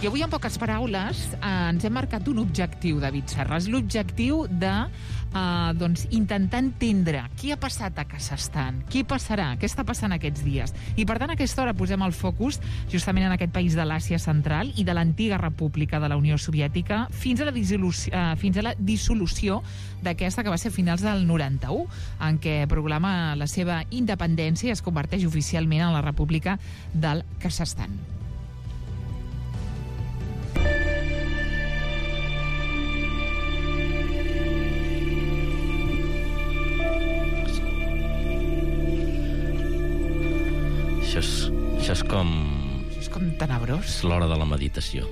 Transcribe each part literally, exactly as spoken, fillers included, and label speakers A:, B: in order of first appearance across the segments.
A: I avui, en poques paraules, eh, ens hem marcat un objectiu, David Serres, l'objectiu de eh, doncs, intentar entendre què ha passat a Kazakhstan, què passarà, què està passant aquests dies. I, per tant, a aquesta hora posem el focus justament en aquest país de l'Àsia Central i de l'antiga república de la Unió Soviètica fins a la dissolució, eh, fins a la dissolució d'aquesta que va ser a finals del noranta-u, en què proclama la seva independència i es converteix oficialment en la República del Kazakhstan.
B: Això és, això és com...
A: Això és com tenebrós.
B: És l'hora de la meditació.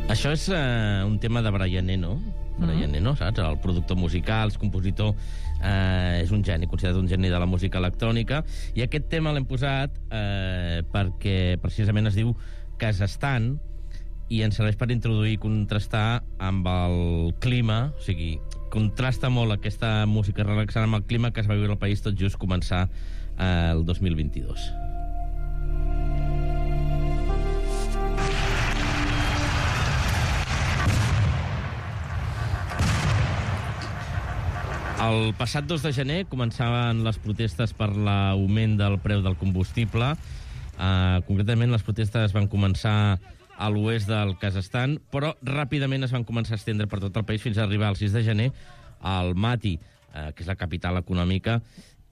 B: Això és uh, un tema de Brian Eno, Brian mm. Eno, saps? El productor musical, el compositor, eh, és un geni, considerat un geni de la música electrònica, i aquest tema l'hem posat eh, perquè precisament es diu Kazakhstan, i ens serveix per introduir i contrastar amb el clima, o sigui, contrasta molt aquesta música relaxant amb el clima que es va viure al país tot just començar eh, el dos mil vint-i-dos. El passat dos de gener començaven les protestes per l'augment del preu del combustible. Uh, concretament, les protestes van començar a l'oest del Kazakhstan, però ràpidament es van començar a estendre per tot el país fins a arribar el sis de gener a Almaty, uh, que és la capital econòmica,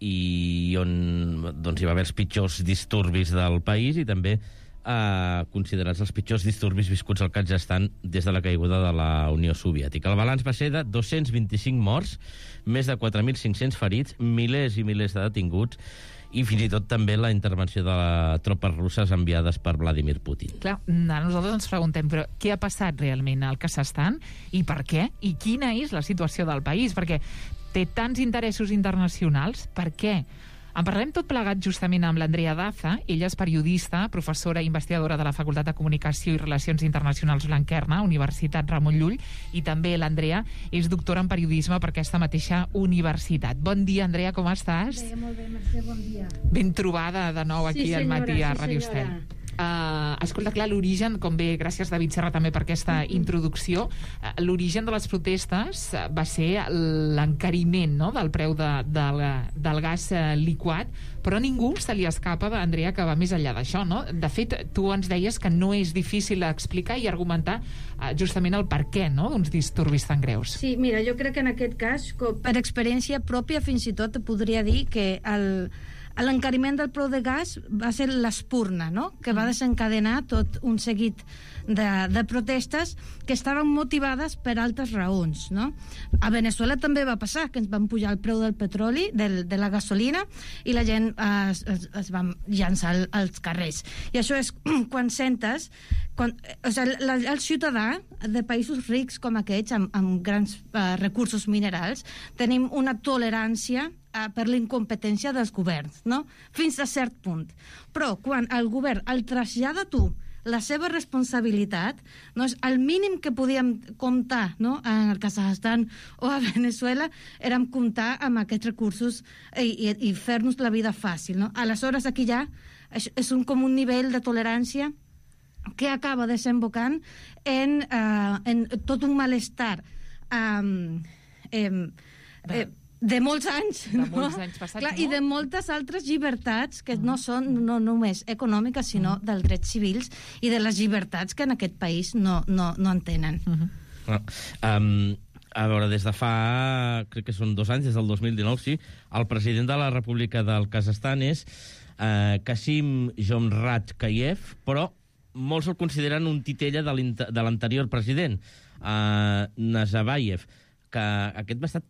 B: i on doncs, hi va haver els pitjors disturbis del país i també eh, considerats els pitjors disturbis viscuts al Kazakhstan des de la caiguda de la Unió Soviètica. El balanç va ser de dos-cents vint-i-cinc morts, més de quatre mil cinc-cents ferits, milers i milers de detinguts, i fins i tot també la intervenció de les tropes russes enviades per Vladimir Putin.
A: Clar, a nosaltres ens preguntem, però què ha passat realment al Kazakhstan i per què? I quina és la situació del país? Perquè té tants interessos internacionals, per què? En parlem tot plegat justament amb l'Andrea Daza. Ella és periodista, professora i investigadora de la Facultat de Comunicació i Relacions Internacionals Blanquerna, Universitat Ramon Llull, i també l'Andrea és doctora en periodisme per aquesta mateixa universitat. Bon dia, Andrea, com estàs?
C: Bé, molt bé, Mercè, bon dia.
A: Ben trobada de nou aquí
C: sí,
A: al matí
C: senyora,
A: a Ràdio
C: sí,
A: Estel. Uh, escolta, clar, l'origen, com bé, gràcies David Serra també per aquesta introducció, uh, l'origen de les protestes uh, va ser l'encariment, no?, del preu de, del, del gas uh, liquat, però a ningú se li escapa, Andrea, que va més enllà d'això, no? De fet, tu ens deies que no és difícil explicar i argumentar uh, justament el per què, no?, d'uns disturbis tan greus.
C: Sí, mira, jo crec que en aquest cas, per experiència pròpia, fins i tot podria dir que el l'encariment del preu de gas va ser l'espurna, no?, que va desencadenar tot un seguit de, de protestes que estaven motivades per altres raons, no? A Venezuela també va passar que ens van pujar el preu del petroli, del, de la gasolina, i la gent eh, es, es va llançar als carrers. I això és quan sentes quan, o sigui, la, el ciutadà de països rics com aquests, amb, amb grans eh, recursos minerals, tenim una tolerància per l'incompetència dels governs, no? Fins a cert punt. Però quan el govern el trasllada a tu la seva responsabilitat, no, és el mínim que podíem comptar, no?, en el Kazakhstan o a Venezuela, érem comptar amb aquests recursos i, i, i fer-nos la vida fàcil, no? Aleshores aquí ja és, és un, com un nivell de tolerància que acaba desembocant en, uh, en tot un malestar um, eh, eh, de molts anys,
A: de
C: no?
A: molts anys passats,
C: Clar,
A: no?
C: I de moltes altres llibertats que uh -huh. no són no només econòmiques, sinó uh -huh. dels drets civils i de les llibertats que en aquest país no, no, no en tenen.
A: Uh -huh.
B: ah, um, a veure, des de fa, crec que són dos anys, des del dos mil dinou, sí, el president de la República del Kazakhstan és uh, Kasim Jomart-Kayev, però molts el consideren un titella de l'anterior president, uh, Nazarbayev, que aquest va estar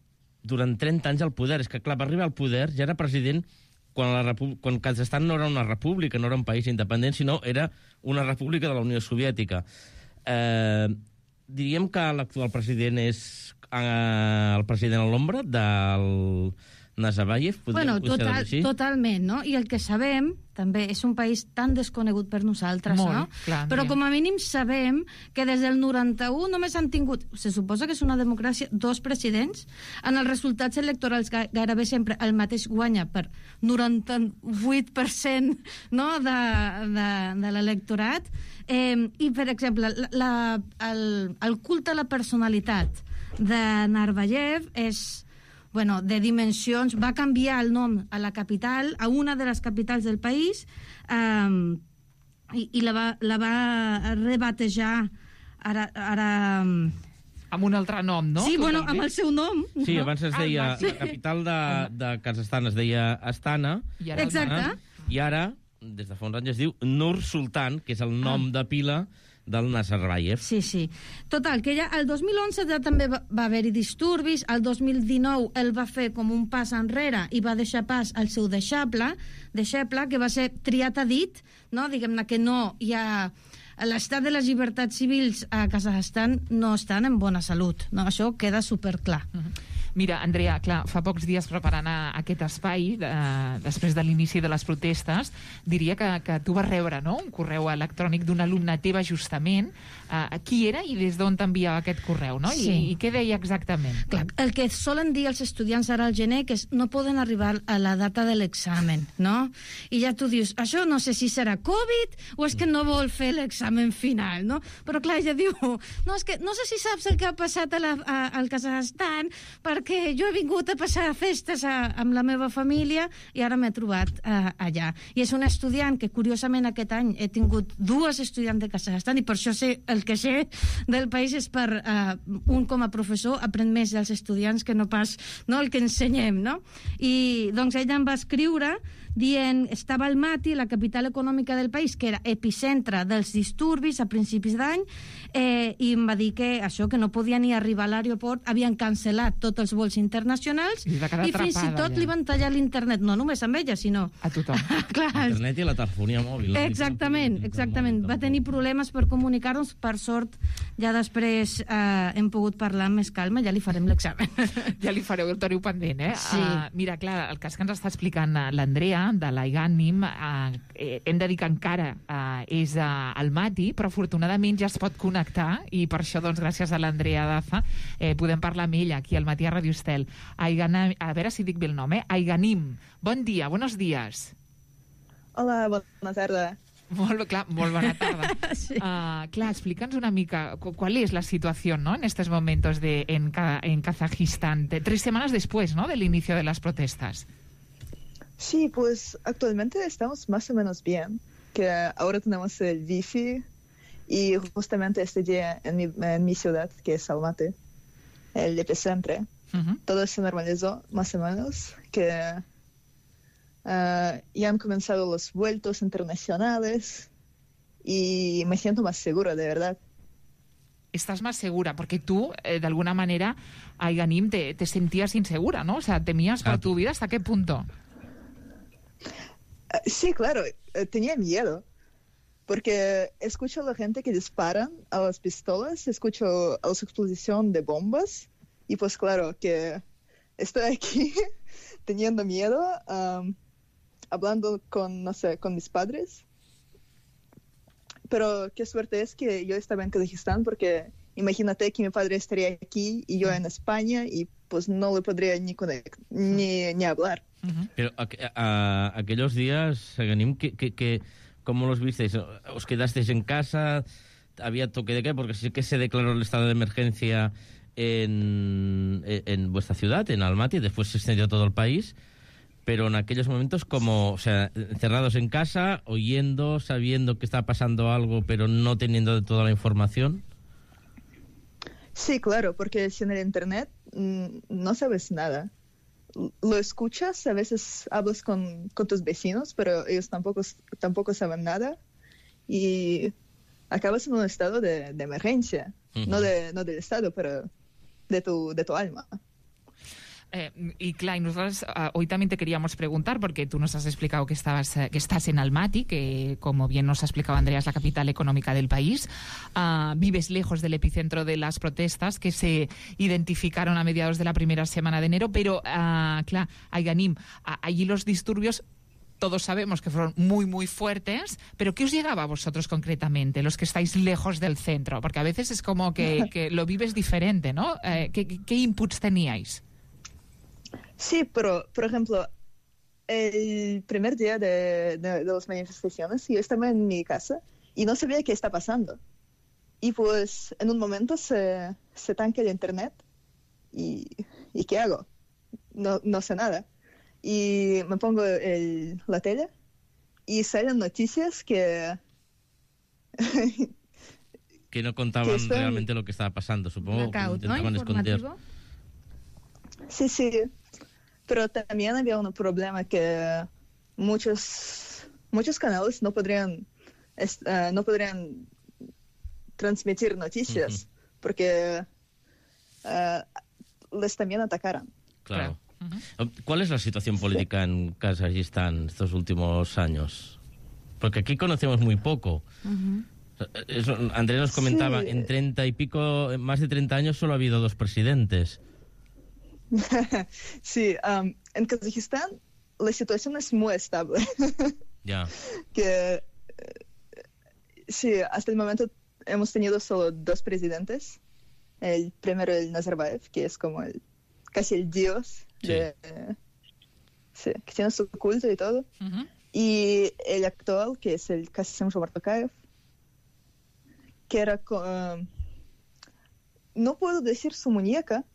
B: durant trenta anys al poder. És que, clar, va arribar al poder, ja era president quan, la Repu quan Kazakhstan no era una república, no era un país independent, sinó era una república de la Unió Soviètica. Eh, diríem que l'actual president és eh, el president a l'ombra del, Nazarbayev, podríem
C: bueno,
B: considerar
C: total,
B: així?
C: Totalment, no? I el que sabem, també, és un país tan desconegut per nosaltres,
A: Molt,
C: no?
A: clar,
C: Però
A: Andrea.
C: com a mínim sabem que des del noranta-u només han tingut, se suposa que és una democràcia, dos presidents. En els resultats electorals gairebé sempre el mateix guanya per noranta-vuit per cent, no? de, de, de l'electorat. Eh, I, per exemple, la, el, el culte a la personalitat de Nazarbayev és, bueno, de dimensions, va canviar el nom a la capital, a una de les capitals del país, um, i, i la, va, la va rebatejar ara... ara
A: Amb un altre nom, no?
C: sí, bueno,
A: Totalment.
C: amb el seu nom.
B: Sí,
C: no?
B: abans es deia,
A: Ah, sí.
B: la capital de, de Kazakhstan es deia Astana,
A: I ara-
C: Exacte.
B: i ara, des de fa uns anys, es diu Nur Sultan, que és el nom
C: Ah.
B: de pila del Nazarbayev.
C: Sí, sí. Total, que ja el dos mil onze ja també va, va haver-hi disturbis, el dos mil dinou el va fer com un pas enrere i va deixar pas al seu deixeble, deixeble que va ser triat a dit, no? Diguem-ne que no hi ha... L'estat de les llibertats civils a Kazakhstan no estan en bona salut, no? Això queda superclar.
A: Mhm. Mira, Andrea, clar, fa pocs dies preparant a, aquest espai, de, després de l'inici de les protestes, diria que, que tu vas rebre, no?, un correu electrònic d'una alumna teva, justament. Uh, qui era i des d'on t'enviava aquest correu, no?
C: Sí.
A: I, I què deia exactament?
C: Clar, el que solen dir els estudiants ara al gener que és no poden arribar a la data de l'examen, no? I ja tu dius, això no sé si serà Covid o és que no vol fer l'examen final, no? Però clar, ja diu, no, és que no sé si saps el que ha passat a la, a, al Kazakhstan, perquè jo he vingut a passar festes a, amb la meva família i ara m'he trobat a, allà. I és un estudiant que, curiosament, aquest any he tingut dues estudiants de Kazakhstan i per això sé el que sé del país és per uh, un com a professor aprèn més dels estudiants que no pas no, el que ensenyem, no? I doncs ella em va escriure dient, estava al Mati, la capital econòmica del país, que era epicentre dels disturbis a principis d'any, eh, i em va dir que això, que no podia ni arribar a l'aeroport, havien cancel·lat tots els vols internacionals
A: I va quedar
C: i fins i
A: atrapada,
C: tot
A: ja.
C: li van tallar l'internet, no només amb ella, sinó...
A: A tothom.
C: Clar,
B: Internet i la telefonia mòbil. no?
C: exactament, exactament. Va tenir problemes per comunicar-nos, per sort, ja després eh, hem pogut parlar amb més calma, ja li farem l'examen.
A: Ja li fareu, el teniu pendent, eh?
C: Sí.
A: Uh, mira, clar, el cas que ens està explicant uh, l'Andrea, de l'Aiganim, uh, eh, hem de dir que encara uh, és uh, al Mati, però afortunadament ja es pot connectar, i per això, doncs, gràcies a l'Andrea Daza, eh, podem parlar amb ella, aquí al Matí a Radio Estel. Aiganim, a veure si dic bé el nom, eh? Aiganim, bon dia, buenos días.
D: Hola, bona tarda.
A: Molt, clar, molt bona tarda.
C: Sí.
A: Uh, clar, explica'ns una mica cu- cuál es la situación, ¿no?, en estos momentos de, en, Ka- en Kazajistán, de, tres semanas después, ¿no?, del inicio de las protestas.
D: Sí, pues actualmente estamos más o menos bien, que ahora tenemos el wifi y justamente este día en mi, en mi ciudad, que es Almaty, el epicentro,
A: Uh-huh.
D: todo se normalizó más o menos, que uh, ya han comenzado los vuelos internacionales y me siento más segura, de verdad.
A: Estás más segura, porque tú, eh, de alguna manera, Aiganim, te, te sentías insegura, ¿no? O sea, temías por
B: Ah.
A: tu vida, ¿hasta qué punto?
D: Uh, sí, claro, uh, tenía miedo. Porque escucho a la gente que disparan a las pistolas, escucho a la explosión de bombas y pues claro que estoy aquí teniendo miedo, um, hablando con, no sé, con mis padres. Pero qué suerte es que yo estaba en Kazajistán porque imagínate que mi padre estaría aquí y yo en España y pues no le podría ni, conect- ni, ni hablar.
A: Uh-huh.
B: Pero a, a- aquellos días, Ganim, que, que, que, ¿cómo los visteis? ¿Os quedasteis en casa? ¿Había toque de qué? Porque sí que se declaró el estado de emergencia en, en, en vuestra ciudad, en Almaty, después se extendió a todo el país, pero en aquellos momentos como, o sea, encerrados en casa, oyendo, sabiendo que está pasando algo, pero no teniendo de toda la información.
D: Sí, claro, porque sin el internet mm, no sabes nada. L- Lo escuchas, a veces hablas con, con tus vecinos, pero ellos tampoco, s- tampoco saben nada y acabas en un estado de, de emergencia,
B: Ujú.
D: no, de, no del estado, pero de tu, de tu alma.
A: Eh, y claro, y nosotros uh, hoy también te queríamos preguntar, porque tú nos has explicado que, estabas, uh, que estás en Almaty, que como bien nos ha explicado Andrea es la capital económica del país. Uh, vives lejos del epicentro de las protestas que se identificaron a mediados de la primera semana de enero, pero, uh, claro, Aiganim, uh, allí los disturbios todos sabemos que fueron muy, muy fuertes, pero ¿qué os llegaba a vosotros concretamente, los que estáis lejos del centro? Porque a veces es como que, que lo vives diferente, ¿no? Eh, ¿qué, ¿Qué inputs teníais?
D: Sí, pero, por ejemplo, el primer día de, de, de las manifestaciones, yo estaba en mi casa y no sabía qué está pasando. Y pues en un momento se, se tanque el internet y, y ¿qué hago? No, no sé nada. Y me pongo el, la tele y salen noticias que...
B: que no contaban
D: que están...
B: realmente lo que estaba pasando, supongo.
C: Blackout,
B: que intentaban
C: ¿no?
B: esconder.
D: Sí, sí. Pero también había un problema que muchos, muchos canales no podrían, uh, no podrían transmitir noticias uh-huh. porque uh, les también atacaron.
B: Claro. Uh-huh. ¿Cuál es la situación política sí. en Kazajistán estos últimos años? Porque aquí conocemos muy poco. Uh-huh. Eso, Andrés nos comentaba, sí. en treinta y pico, más de treinta años solo ha habido dos presidentes.
D: Sí, um, en Kazajistán la situación es muy estable.
B: Ya.
D: Que sí, hasta el momento hemos tenido solo dos presidentes. El primero, el Nazarbayev, que es como el, casi el dios, sí. de, sí, que tiene su culto y todo. Uh-huh. Y el actual, que es el Kassym-Jomart Tokayev, que era, uh, no puedo decir su muñeca,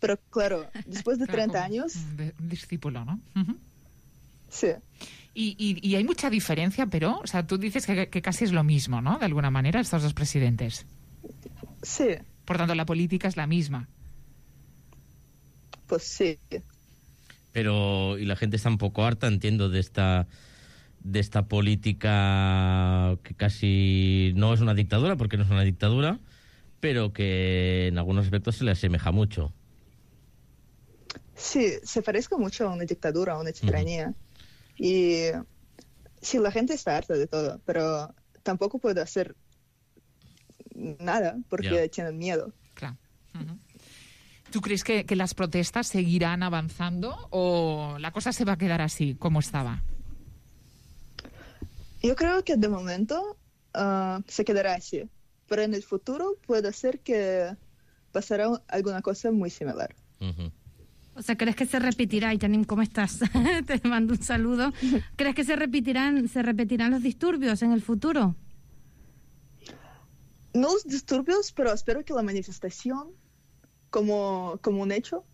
D: pero claro, después de
A: claro,
D: treinta años...
A: De, un discípulo, ¿no? Uh-huh.
D: Sí.
A: Y, y, y hay mucha diferencia, pero, o sea, tú dices que, que casi es lo mismo, ¿no? De alguna manera, estos dos presidentes.
D: Sí.
A: Por tanto, la política es la misma.
D: Pues sí.
B: Pero, y la gente está un poco harta, entiendo, de esta... de esta política que casi no es una dictadura, porque no es una dictadura, pero que en algunos aspectos se le asemeja mucho.
D: Sí, se parece mucho a una dictadura, a una tiranía. Uh-huh. Y sí, la gente está harta de todo, pero tampoco puede hacer nada porque yeah. tienen miedo.
A: Claro. Uh-huh. ¿Tú crees que, que las protestas seguirán avanzando o la cosa se va a quedar así, como estaba?
D: Yo creo que de momento uh, se quedará así, pero en el futuro puede ser que pasará alguna cosa muy similar.
B: Uh-huh.
C: O sea, ¿crees que se repetirá? Yanim, ¿cómo estás? Te mando un saludo. ¿Crees que se repetirán, se repetirán los disturbios en el futuro?
D: No los disturbios, pero espero que la manifestación como, como un hecho,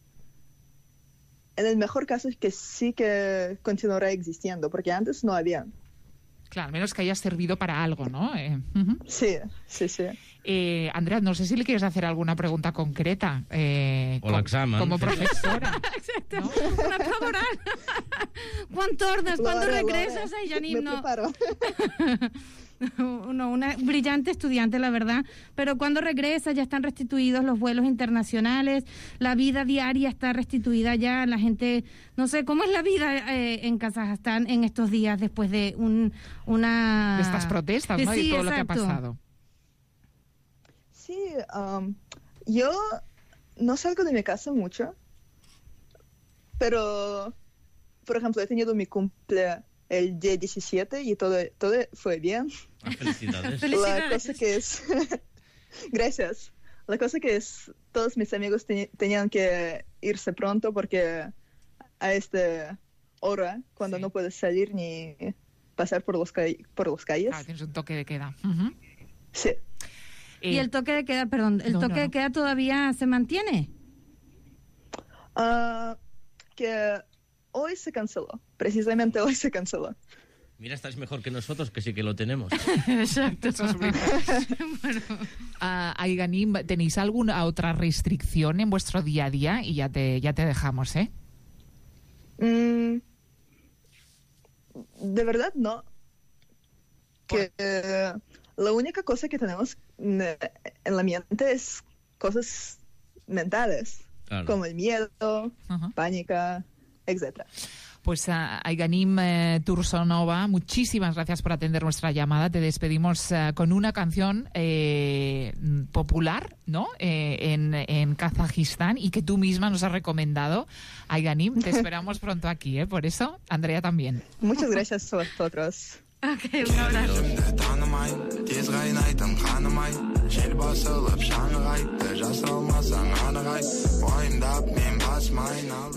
D: en el mejor caso es que sí que continuará existiendo, porque antes no había.
A: Claro, al menos que haya servido para algo, ¿no? Eh, uh-huh.
D: Sí, sí, sí.
A: Eh, Andrea, no sé si le quieres hacer alguna pregunta concreta. Eh,
B: o l'examen.
A: Com, como profesora.
C: Exacte. ¿No? Una prova oral. Quan tornes? ¿Cuándo regresas? Ay, Yanim, no. No, una brillante estudiante, la verdad, pero cuando regresa ya están restituidos los vuelos internacionales, la vida diaria está restituida ya, la gente, no sé, ¿cómo es la vida eh, en Kazajstán en estos días después de un, una...
A: de estas protestas, ¿no?
C: Sí,
A: y todo
C: exacto.
A: lo que ha pasado.
D: Sí, um, yo no salgo de mi casa mucho, pero, por ejemplo, he tenido mi cumple el día diecisiete y todo, todo fue bien.
B: Ah, felicidades.
D: La cosa que es... Gracias. La cosa que es, todos mis amigos te- tenían que irse pronto porque a esta hora, cuando sí. no puedes salir ni pasar por los, ca- por los calles.
A: Claro, tienes un toque de queda. Uh-huh.
D: Sí.
C: Eh, ¿Y el toque de queda, perdón, el
A: no,
C: toque
A: no, no.
C: de queda todavía se mantiene?
D: Uh, que hoy se canceló. Precisamente hoy se canceló.
B: Mira, estás mejor que nosotros, que sí que lo tenemos.
A: Exacto, eso es verdad. Bueno. Uh, Aiganim, ¿tenéis alguna otra restricción en vuestro día a día? Y ya te, ya te dejamos, ¿eh?
D: Mm, de verdad, no. Que eh, la única cosa que tenemos en la mente es cosas mentales.
B: Claro.
D: como el miedo,
A: Ajá.
D: pánica, etcétera.
A: Pues uh, Aiganim eh, Tursonova, muchísimas gracias por atender nuestra llamada. Te despedimos uh, con una canción eh, popular, ¿no? Eh, en, en Kazajistán y que tú misma nos has recomendado. Aiganim, te esperamos pronto aquí, ¿eh? Por eso, Andrea también.
D: Muchas gracias a vosotros.
C: Ok, un abrazo.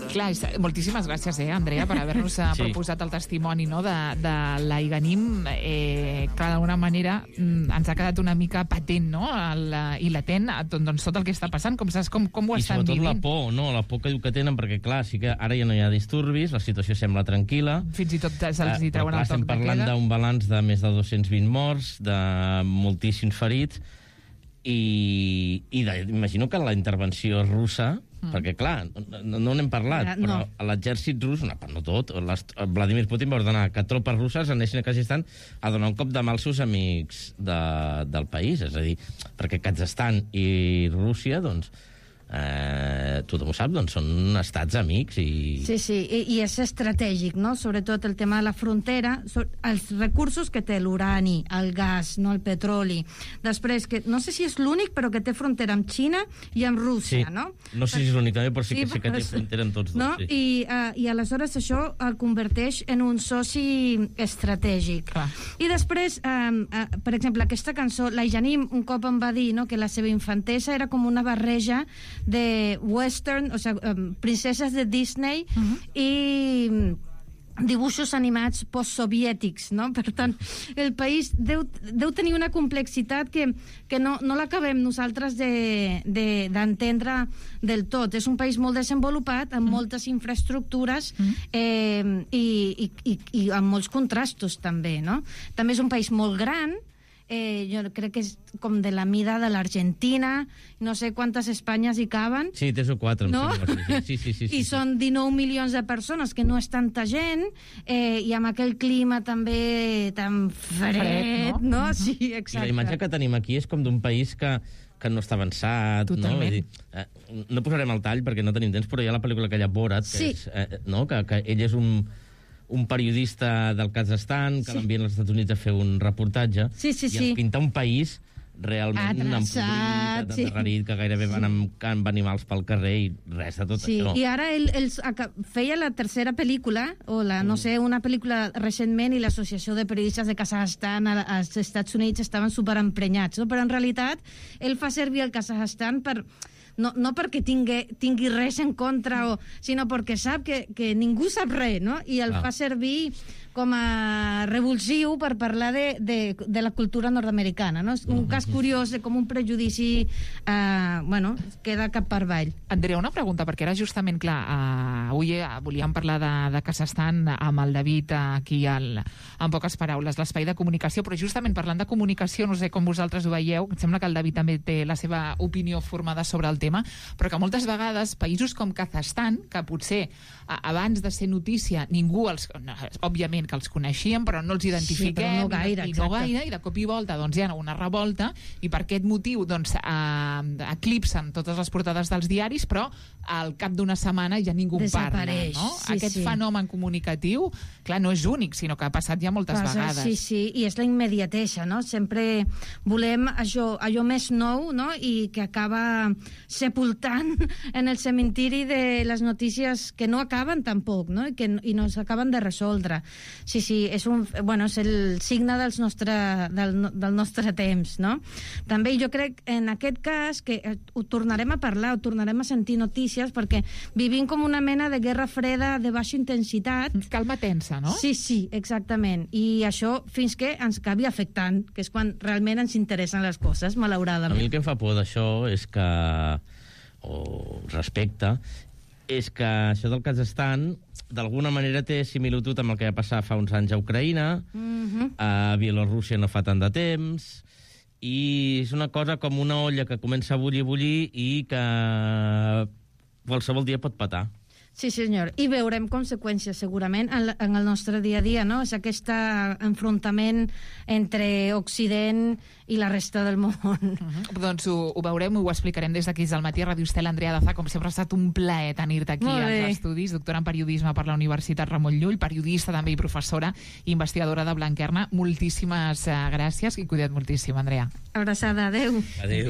A: Clar, és, moltíssimes gràcies, eh, Andrea, per haver-nos sí. proposat el testimoni, no, de, de l'Aiganim. Eh, clar, d'alguna manera mm, ens ha quedat una mica patent, no?, el, i latent tot, doncs, tot el que està passant, com saps, com, com ho
B: I
A: estan
B: sobretot
A: vivint.
B: la por, no? La por que diu que tenen, perquè, clar, sí que ara ja no hi ha disturbis, la situació sembla tranquil·la.
A: Fins i tot se'ls hi
B: Eh,
A: treuen
B: clar,
A: el toc
B: estem
A: de
B: parlant
A: queda.
B: d'un balanç de més de dos-cents vint morts, de moltíssims ferits, i, i de, imagino que la intervenció russa, mm. perquè, clar, no, no n'hem parlat,
C: No.
B: però l'exèrcit rus, no, no tot, les, Vladimir Putin va ordenar que tropes russes anessin a Kazajistan a donar un cop de mà als seus amics de, del país, és a dir, perquè Kazajistan i Rússia, doncs, eh, tothom ho sap, doncs són estats amics i...
C: Sí, sí, i, i és estratègic, no? Sobretot el tema de la frontera, so, els recursos que té l'urani, el gas, no, el petroli. Després, que no sé si és l'únic, però que té frontera amb Xina i amb Rússia,
B: Sí.
C: no?
B: No sé si és l'únic també, però sí,
C: Sí,
B: que, sí que té
C: però-
B: frontera amb tots dos.
C: No?
B: Sí.
C: I, uh, I aleshores això el converteix en un soci estratègic.
A: Clar.
C: I després, um, uh, per exemple, aquesta cançó, la Janim un cop em va dir, no, que la seva infantesa era com una barreja de western, o sigui, um, princeses de Disney uh -huh. i mm, dibuixos animats postsoviètics, no? Per tant, el país deu, deu tenir una complexitat que, que no, no l'acabem nosaltres d'entendre de, de, del tot. És un país molt desenvolupat, amb mm. moltes infraestructures mm. eh, i, i, i, i amb molts contrastos, també, no? També és un país molt gran, eh, jo crec que és com de la mida de l'Argentina, no sé quantes Espanyes hi caben.
B: Sí, tres o quatre, em
C: No?
B: sembla. Sí, sí, sí, sí,
C: I
B: sí.
C: són dinou milions de persones, que no és tanta gent, eh, i amb aquell clima també tan fred,
A: Fred, no?
C: no? Sí,
B: I
C: exacte.
B: la imatge que tenim aquí és com d'un país que, que no està avançat,
A: Totalment.
B: no? Vull dir, eh, no posarem el tall perquè no tenim temps, però hi ha la pel·lícula aquella Borat, que,
C: Sí.
B: és, eh, no? que, que ell és un, un periodista del Kazajstan que
C: Sí.
B: l'envien als Estats Units a fer un reportatge
C: Sí, sí,
B: i
C: sí.
B: ens pinta un país realment
C: Adreçat,
B: empobrit,
C: sí.
B: endarrerit, que gairebé van amb, amb animals pel carrer i res de tot
C: Sí,
B: això.
C: i ara ell, ell aca- feia la tercera pel·lícula, o la, no sé, una pel·lícula recentment, i l'Associació de Periodistes de Kazajstan a- als Estats Units estaven superemprenyats, no? Però en realitat ell fa servir el Kazajstan per... No, no perquè tingui, tingui res en contra, o, sinó perquè sap que, que ningú sap res, no? I el
B: Ah.
C: fa servir com a revulsiu per parlar de, de, de la cultura nord-americana, no? És un cas curiós de com un prejudici eh, bueno, queda cap per avall.
A: Andrea, una pregunta, perquè era justament, clar, uh, avui uh, volíem parlar de, de Kazajstan amb el David uh, aquí al, en poques paraules, l'espai de comunicació, però justament parlant de comunicació, no sé com vosaltres ho veieu, em sembla que el David també té la seva opinió formada sobre el tema, però que moltes vegades països com Kazajstan, que potser uh, abans de ser notícia ningú els... No, òbviament que els coneixíem, però no els identifiquem,
C: Sí, però no gaire,
A: i, i no
C: exacte.
A: gaire, i de cop i volta doncs, hi ha una revolta, i per aquest motiu doncs, eh, eclipsen totes les portades dels diaris, però al cap d'una setmana ja ningú en parla.
C: Desapareix,
A: No?
C: sí,
A: Aquest
C: sí.
A: fenomen comunicatiu, clar, no és únic, sinó que ha passat ja moltes
C: Passa,
A: vegades.
C: Sí, sí, i és la immediatesa, no? Sempre volem allò, allò més nou, no? I que acaba sepultant en el cementiri de les notícies que no acaben tampoc, no? I que i no s'acaben de resoldre. Sí, sí, és, un, bueno, és el signe dels nostre, del, no- del nostre temps, no? També jo crec, en aquest cas, que eh, ho tornarem a parlar, ho tornarem a sentir notícies, perquè vivim com una mena de guerra freda de baixa intensitat.
A: Calma tensa, no?
C: Sí, sí, exactament. I això fins que ens acabi afectant, que és quan realment ens interessen les coses,
B: A mi
C: malauradament.
B: el que em fa por d'això és que, o respecte, és que això del Kazajstan d'alguna manera té similitud amb el que va passar fa uns anys a Ucraïna,
C: Mhm.
B: a Bielorússia no fa tant de temps, i és una cosa com una olla que comença a bullir, bullir i que qualsevol dia pot petar.
C: Sí, senyor. I veurem conseqüències, segurament, en, en el nostre dia a dia, no? És aquest enfrontament entre Occident i la resta del món.
A: Uh-huh. Doncs ho, ho veurem, ho explicarem des d'aquí al matí a Ràdio Estel. Andrea Daza, com sempre ha estat un plaer tenir-te aquí als estudis, doctora en periodisme per la Universitat Ramon Llull, periodista també i professora i investigadora de Blanquerna. Moltíssimes uh, gràcies i cuida't moltíssim, Andrea.
C: Abraçada, adeu.
B: Adeu.